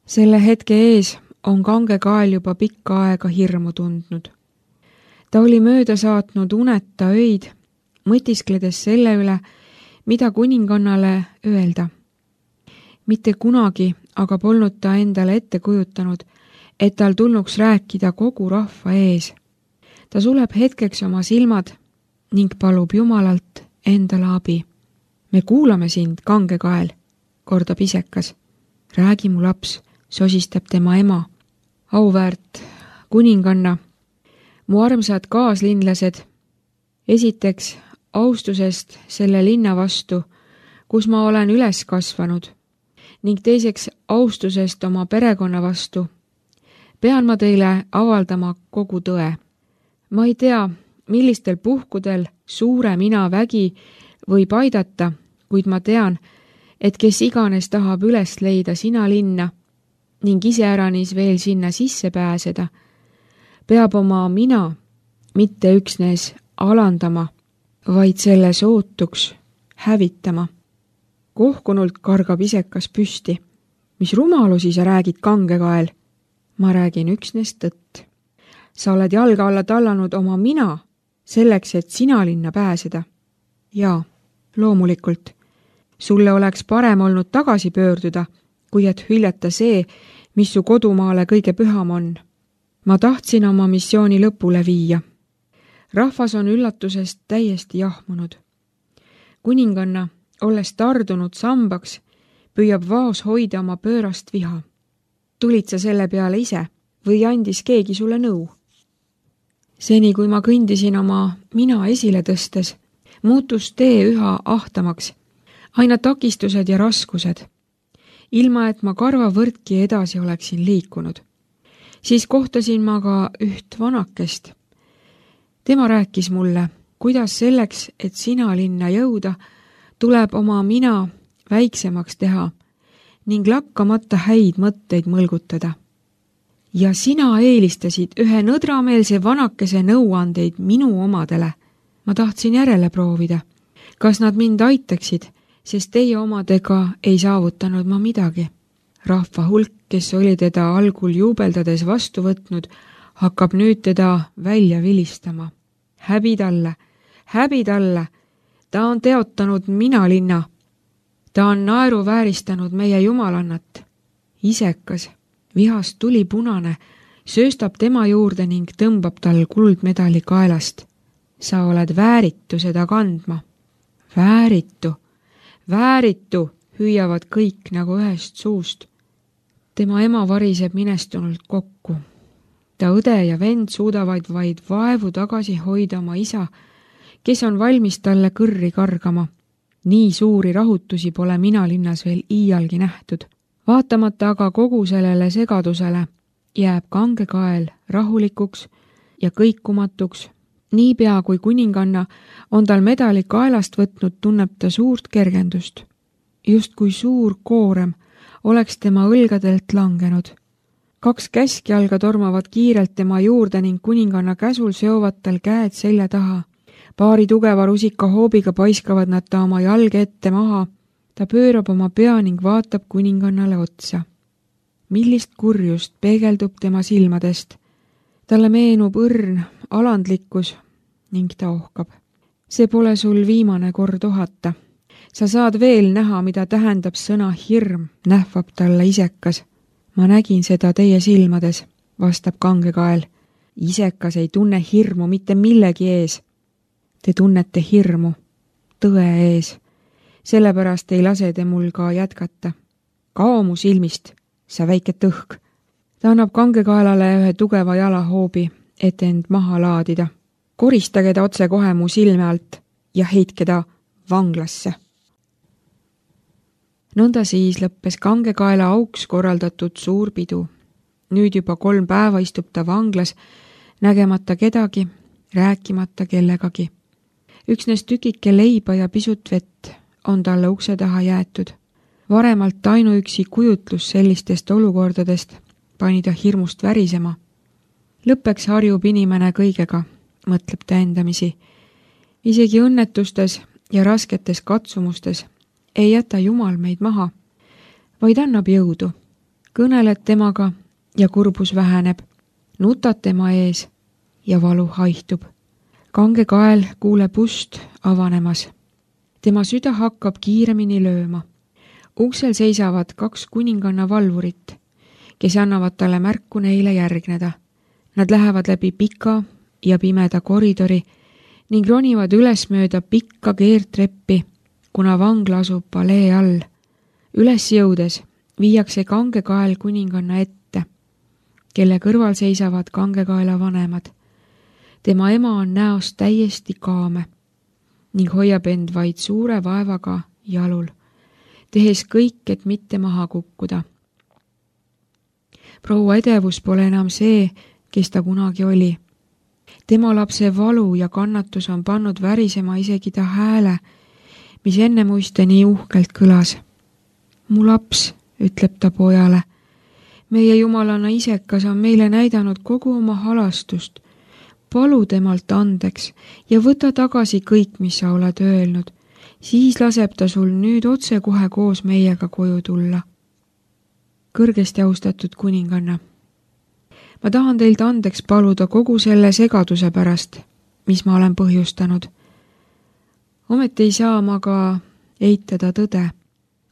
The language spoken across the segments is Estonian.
Selle hetke ees on kange kael juba pikka aega hirmu tundnud. Ta oli mööda saatnud uneta öid, mõtiskledes selle üle, mida kuningannale öelda. Mitte kunagi aga polnud ta endale ette kujutanud, et tal tulnuks rääkida kogu rahva ees. Ta suleb hetkeks oma silmad ning palub Jumalalt endale abi. Me kuulame sind, kange kael, kordab isekas. Räägi mu laps, sosistab tema ema. Auväärt kuninganna, mu armsad kaaslinlased, esiteks austusest selle linna vastu, kus ma olen üles kasvanud, ning teiseks austusest oma perekonna vastu, pean ma teile avaldama kogu tõe. Ma ei tea, millistel puhkudel suure mina vägi võib aidata, kuid ma tean, et kes iganes tahab üles leida sina linna ning iseäranis veel sinna sisse pääseda, peab oma mina mitte üksnes alandama, vaid selle sootuks hävitama. Kohkunult kargab isekas püsti. Mis rumalusi sa räägid, kange kael? Ma räägin üksnes tõtt. Sa oled jalga alla tallanud oma mina selleks, et sina linna pääseda. Jaa, loomulikult. Sulle oleks parem olnud tagasi pöörduda, kui et hüljata see, mis su kodumaale kõige püham on. Ma tahtsin oma missiooni lõpule viia. Rahvas on üllatusest täiesti jahmunud. Kuninganna, olles tardunud sambaks, püüab vaos hoida oma pöörast viha. Tulid sa selle peale ise või andis keegi sulle nõu? Seni, kui ma kõndisin oma mina esile tõstes, muutus tee üha ahtamaks, aina takistused ja raskused, ilma et ma karvavõrdki edasi oleksin liikunud. Siis kohtasin ma ka üht vanakest. Tema rääkis mulle, kuidas selleks, et sina linna jõuda, tuleb oma mina väiksemaks teha ning lakkamata häid mõtteid mõlgutada. Ja sina eelistasid ühe nõdrameelse vanakese nõuandeid minu omadele. Ma tahtsin järele proovida, kas nad mind aitaksid, sest teie omadega ei saavutanud ma midagi. Rahva hulk, kes oli teda algul juubeldades vastu võtnud, hakkab nüüd teda välja vilistama. Häbi talle, ta on teotanud mina linna. Ta on naeruvääristanud meie jumalannat. Isekas, vihast tuli punane, sööstab tema juurde ning tõmbab tal kuldmedali kaelast. Sa oled vääritu seda kandma. Vääritu, hüüavad kõik nagu ühest suust. Tema ema variseb minestunult kokku. Ta õde ja vend suudavad vaid vaevu tagasi hoida oma isa, kes on valmis talle kõrri kargama. Nii suuri rahutusi pole mina linnas veel iialgi nähtud. Vaatamata aga kogu sellele segadusele jääb kange kael rahulikuks ja kõikumatuks. Niipea kui kuninganna on tal medali kaelast võtnud, tunneb ta suurt kergendust. Just kui suur koorem oleks tema õlgadelt langenud. 2 käskjalga tormavad kiirelt tema juurde ning kuninganna käsul seovad tal käed selja taha. Paari tugeva rusika hoobiga paiskavad nad ta oma jalge ette maha. Ta pöörab oma pea ning vaatab kuningannale otsa. Millist kurjust peegeldub tema silmadest. Talle meenub õrn alandlikkus ning ta ohkab. See pole sul viimane kord ohata. Sa saad veel näha, mida tähendab sõna hirm, nähvab talle isekas. Ma nägin seda teie silmades, vastab kange kael. Isekas ei tunne hirmu mitte millegi ees. Te tunnete hirmu, tõe ees. Sellepärast ei lase te mul ka jätkata. Kao mu silmist, sa väike tõhk. Ta annab kangekaelale ühe tugeva jalahoobi, et end maha laadida. Koristage ta otse kohe mu silme alt ja heitke ta vanglasse. Nõnda siis lõppes kangekaela auks korraldatud suur pidu. Nüüd juba 3 päeva istub ta vanglas, nägemata kedagi, rääkimata kellegagi. Üksnes tükike leiba ja pisut vett on talle ukse taha jäetud. Varemalt ainuüksi kujutlus sellistest olukordadest pani ta hirmust värisema. Lõppeks harjub inimene kõigega, mõtleb ta endamisi. Isegi õnnetustes ja rasketes katsumustes ei jäta Jumal meid maha, vaid annab jõudu. kõneled temaga ja kurbus väheneb, nutad tema ees ja valu haihtub. Kange kael kuuleb ust avanemas. Tema süda hakkab kiiremini lööma. Uksel seisavad 2 kuninganna valvurit, kes annavad talle märku neile järgneda. Nad lähevad läbi pika ja pimeda koridori ning ronivad üles mööda pikka keertreppi, kuna vangla asub palee all. Üles jõudes viiakse kange kael kuninganna ette, kelle kõrval seisavad kangekaela vanemad. Tema ema on näost täiesti kaame ning hoiab end vaid suure vaevaga jalul, tehes kõik, et mitte maha kukkuda. Proua edevus pole enam see, kes ta kunagi oli. Tema lapse valu ja kannatus on pannud värisema isegi ta hääle, mis enne muiste nii uhkelt kõlas. Mu laps, ütleb ta pojale, meie jumalana isekas on meile näidanud kogu oma halastust. Palu temalt andeks ja võta tagasi kõik, mis sa oled öelnud. Siis laseb ta sul nüüd otse kohe koos meiega koju tulla. Kõrgesti austatud kuninganna, ma tahan teilt andeks paluda kogu selle segaduse pärast, mis ma olen põhjustanud. Ometi ei saa ma ka eitada tõde.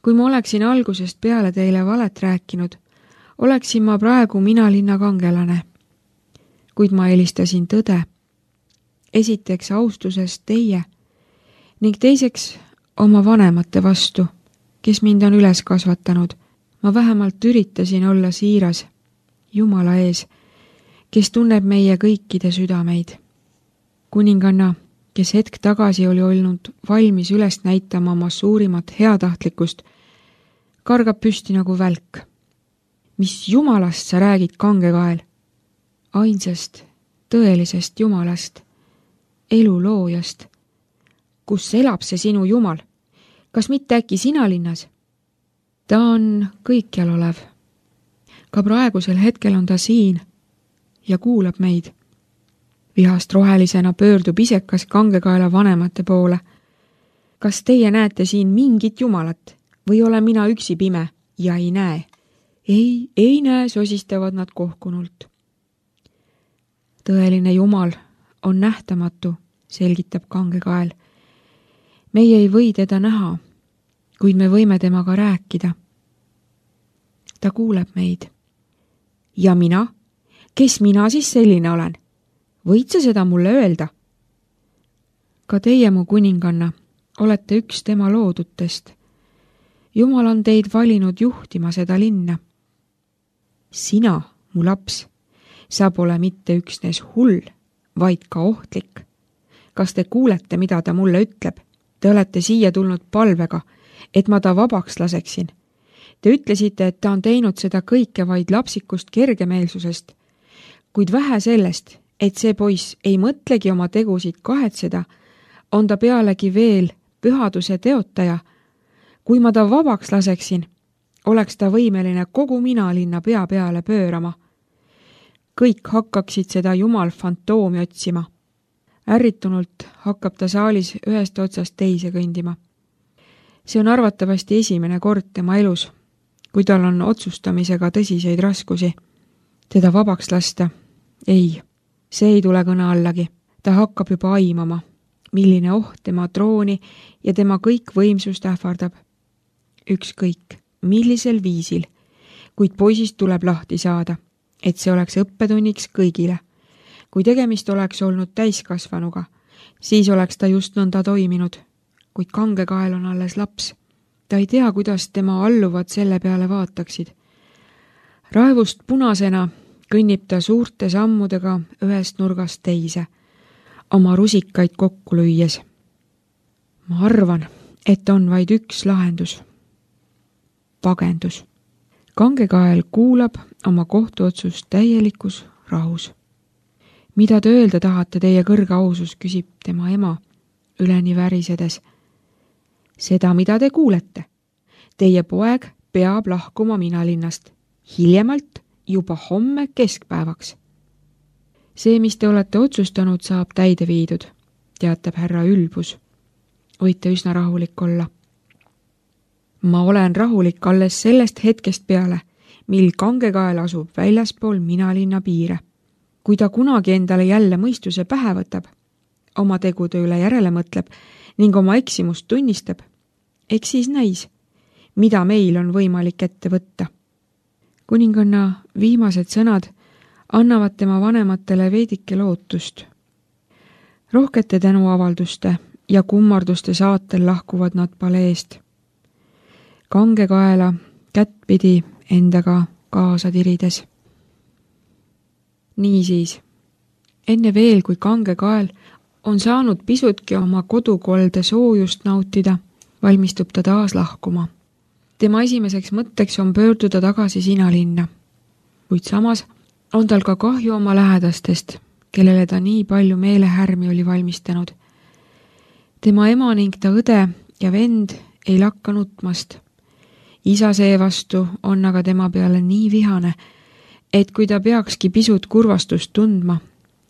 Kui ma oleksin algusest peale teile valet rääkinud, oleksin ma praegu minalinna kangelane. Kuid ma eelistasin tõde. Esiteks austusest teie ning teiseks oma vanemate vastu, kes mind on üles kasvatanud. Ma vähemalt üritasin olla siiras Jumala ees, kes tunneb meie kõikide südameid. Kuninganna, kes hetk tagasi oli olnud valmis üles näitama oma suurimat heatahtlikkust, kargab püsti nagu välk. Mis Jumalast sa räägid, kangekael? Ainsast, tõelisest Jumalast, elu loojast. Kus elab see sinu Jumal? Kas mitte äkki sina linnas? Ta on kõikjal olev. Ka praegusel hetkel on ta siin ja kuulab meid. Vihast rohelisena pöördub isekas kangekaela vanemate poole. Kas teie näete siin mingit Jumalat või olen mina üksi pime ja ei näe? Ei näe, sosistavad nad kohkunult. Tõeline Jumal on nähtamatu, selgitab kangekael. Meie ei või teda näha, kuid me võime temaga rääkida. Ta kuuleb meid. Ja mina? Kes mina siis selline olen? Võid sa seda mulle öelda? Ka teie, mu kuninganna, olete üks tema loodutest. Jumal on teid valinud juhtima seda linna. Sina, mu laps, sa pole mitte üksnes hull, vaid ka ohtlik. Kas te kuulete, mida ta mulle ütleb? Te olete siia tulnud palvega, et ma ta vabaks laseksin. Te ütlesite, et ta on teinud seda kõike vaid lapsikust kergemeelsusest, kuid vähe sellest, et see poiss ei mõtlegi oma tegusid kahetseda, on ta pealegi veel pühaduse teotaja. Kui ma ta vabaks laseksin, oleks ta võimeline kogu minalinna pea peale pöörama. Kõik hakkaksid seda Jumal fantoomi otsima. Ärritunult hakkab ta saalis ühest otsast teise kõndima. See on arvatavasti esimene kord tema elus, kui tal on otsustamisega tõsiseid raskusi. Teda vabaks lasta? Ei, see ei tule kõne allagi. Ta hakkab juba aimama, milline oht tema trooni ja tema kõik võimsust ähvardab. Ükskõik, millisel viisil, kuid poisist tuleb lahti saada, et see oleks õppetunniks kõigile. Kui tegemist oleks olnud täiskasvanuga, siis oleks ta just nõnda toiminud, kuid kangekael on alles laps. Ta ei tea, kuidas tema alluvad selle peale vaataksid. Raevust punasena kõnnib ta suurte sammudega ühest nurgast teise, oma rusikaid kokku lüües. Ma arvan, et on vaid üks lahendus. Pagendus. Kangekael kuulab oma kohtuotsust täielikus rahus. Mida te öelda tahate, teie kõrge ausus, küsib tema ema üleni värisedes. Seda, mida te kuulete. Teie poeg peab lahkuma minalinnast, hiljemalt juba homme keskpäevaks. See, mis te olete otsustanud, saab täide viidud, teatab härra Ülbus. Võite üsna rahulik olla. Ma olen rahulik alles sellest hetkest peale, mil Kangekael asub väljaspool Minalinna piire. Kui ta kunagi endale jälle mõistuse pähe võtab, oma tegude üle järele mõtleb ning oma eksimust tunnistab, eks siis näis, mida meil on võimalik ette võtta. Kuninganna viimased sõnad annavad tema vanematele veidike lootust. Rohkete tänuavalduste ja kummarduste saatel lahkuvad nad paleest. Kangekaela kättpidi endaga kaasa tirides. Niisiis, enne veel, kui Kangekael on saanud pisutki oma kodukolde soojust nautida, valmistub ta taas lahkuma. Tema esimeseks mõtteks on pöörduda tagasi Sinalinna, kuid samas on tal ka kahju oma lähedastest, kellele ta nii palju meelehärmi oli valmistanud. Tema ema ning ta õde ja vend ei lakka nutmast. Isa seevastu on aga tema peale nii vihane, et kui ta peakski pisut kurvastust tundma,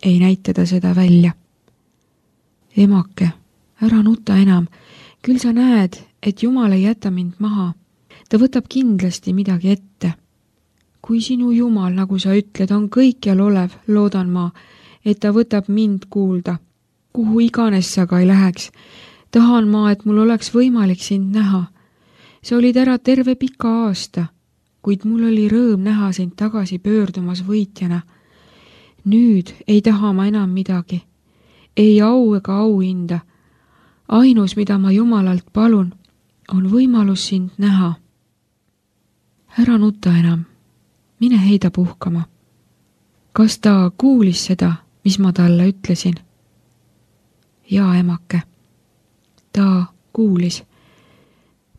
ei näita ta seda välja. Emake, ära nuta enam, küll sa näed, et Jumal ei jäta mind maha. Ta võtab kindlasti midagi ette. Kui sinu Jumal, nagu sa ütled, on kõikjal olev, loodan ma, et ta võtab mind kuulda. Kuhu iganes sa ka ei läheks, tahan ma, et mul oleks võimalik sind näha. Sa olid ära terve pika aasta, kuid mul oli rõõm näha sind tagasi pöördumas võitjana. Nüüd ei taha ma enam midagi. Ei au ega auhinda. Ainus, mida ma Jumalalt palun, on võimalus sind näha. Ära nuta enam. Mine heida puhkama. Kas ta kuulis seda, mis ma talle ütlesin? Jaa, emake. Ta kuulis.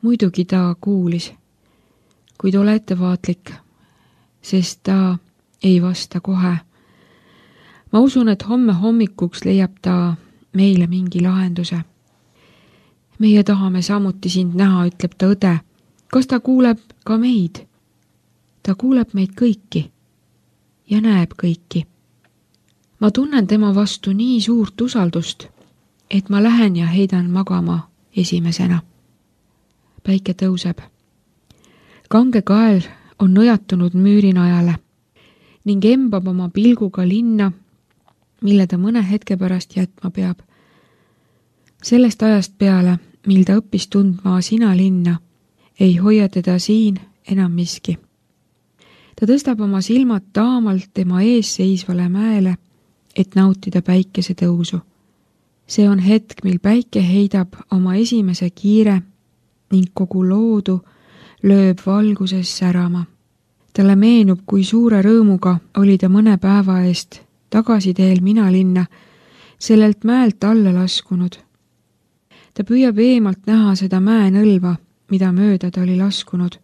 Muidugi ta kuulis, kuid ole ettevaatlik, sest ta ei vasta kohe. Ma usun, et homme hommikuks leiab ta meile mingi lahenduse. Meie tahame samuti sind näha, ütleb ta õde. Kas ta kuuleb ka meid? Ta kuuleb meid kõiki ja näeb kõiki. Ma tunnen tema vastu nii suurt usaldust, et ma lähen ja heidan magama esimesena. Päike tõuseb. Kangekael on nõjatunud müürinajale ning embab oma pilguga linna, mille ta mõne hetke pärast jätma peab. Sellest ajast peale, mil ta õppis tundma Sinalinna, ei hoia teda siin enam miski. Ta tõstab oma silmad taamalt tema ees seisvale mäele, et nautida päikese tõusu. See on hetk, mil päike heidab oma esimese kiire ning kogu loodu lööb valguses särama. Talle meenub, kui suure rõõmuga oli ta mõne päeva eest tagasi teel Minalinna, sellelt mäelt alla laskunud. Ta püüab eemalt näha seda mäenõlva, mida mööda ta oli laskunud.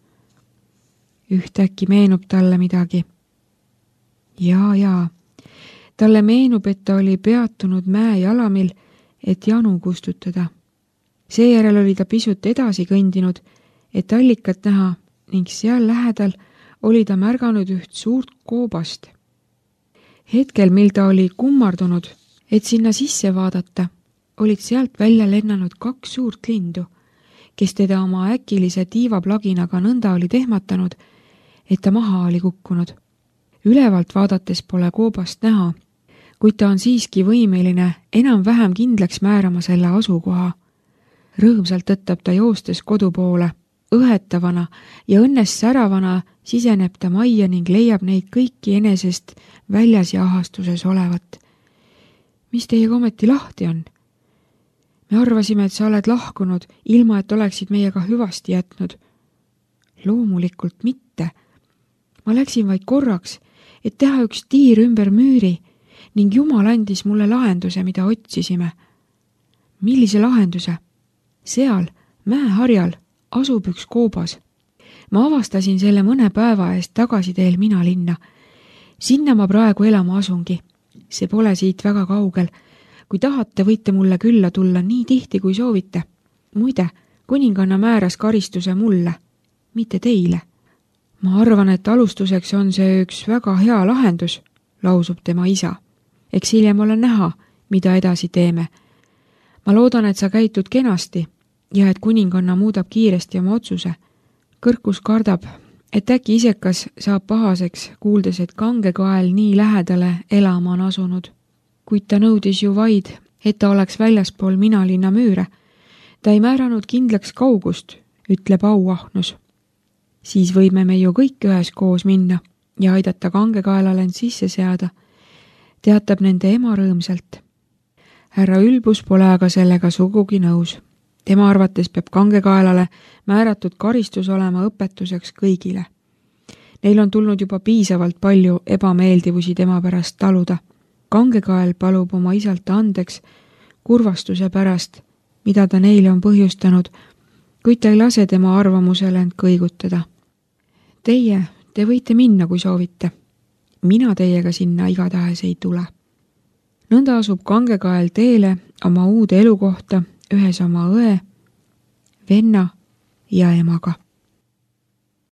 Ühtäkki meenub talle midagi. Jaa. Talle meenub, et ta oli peatunud mäe jalamil, et janu kustutada. Seejärel oli ta pisut edasi kõndinud, et allikat näha ning seal lähedal oli ta märganud üht suurt koobast. Hetkel, mil ta oli kummardunud, et sinna sisse vaadata, olid sealt välja lennanud 2 suurt lindu, kes teda oma äkilise tiivaplaginaga nõnda oli tehmatanud, et ta maha oli kukkunud. Ülevalt vaadates pole koobast näha, kuid ta on siiski võimeline enam-vähem kindlaks määrama selle asukoha. Rõõmsalt tõttab ta joostes kodu poole, õhetavana ja õnnest säravana siseneb ta majja ning leiab neid kõiki enesest väljas ja ahastuses olevat. Mis teiega ometi lahti on? Me arvasime, et sa oled lahkunud, ilma et oleksid meiega hüvasti jätnud. Loomulikult mitte. Ma läksin vaid korraks, et teha üks tiir ümber müüri ning Jumal andis mulle lahenduse, mida otsisime. Millise lahenduse? Seal, mäeharjal, asub üks koobas. Ma avastasin selle mõne päeva eest tagasi teel Minalinna. Sinna ma praegu elama asungi. See pole siit väga kaugel. Kui tahate, võite mulle külla tulla nii tihti, kui soovite. Muide, kuninganna määras karistuse mulle, mitte teile. Ma arvan, et alustuseks on see üks väga hea lahendus, lausub tema isa. Eks hiljem ole näha, mida edasi teeme. Ma loodan, et sa käitud kenasti ja et kuninganna muudab kiiresti oma otsuse. Kõrkus kardab, et äkki isekas saab pahaseks, kuuldes, et kangekael nii lähedale elama on asunud. Kuid ta nõudis ju vaid, et ta oleks väljaspool Minalinna müüre. Ta ei määranud kindlaks kaugust, ütleb auahnus. Siis võime me ju kõik üheskoos minna ja aidata kangekaelale end sisse seada, teatab nende ema rõõmsalt. Härra Ülbus pole aga sellega sugugi nõus. Tema arvates peab kangekaelale määratud karistus olema õpetuseks kõigile. Neil on tulnud juba piisavalt palju ebameeldivusi tema pärast taluda. Kangekael palub oma isalt andeks kurvastuse pärast, mida ta neile on põhjustanud, kuid ta ei lase tema arvamusele end kõigutada. Te võite minna, kui soovite. Mina teiega sinna igatahes ei tule. Nõnda asub kangekael teele oma uude elukohta ühes oma õe, venna ja emaga.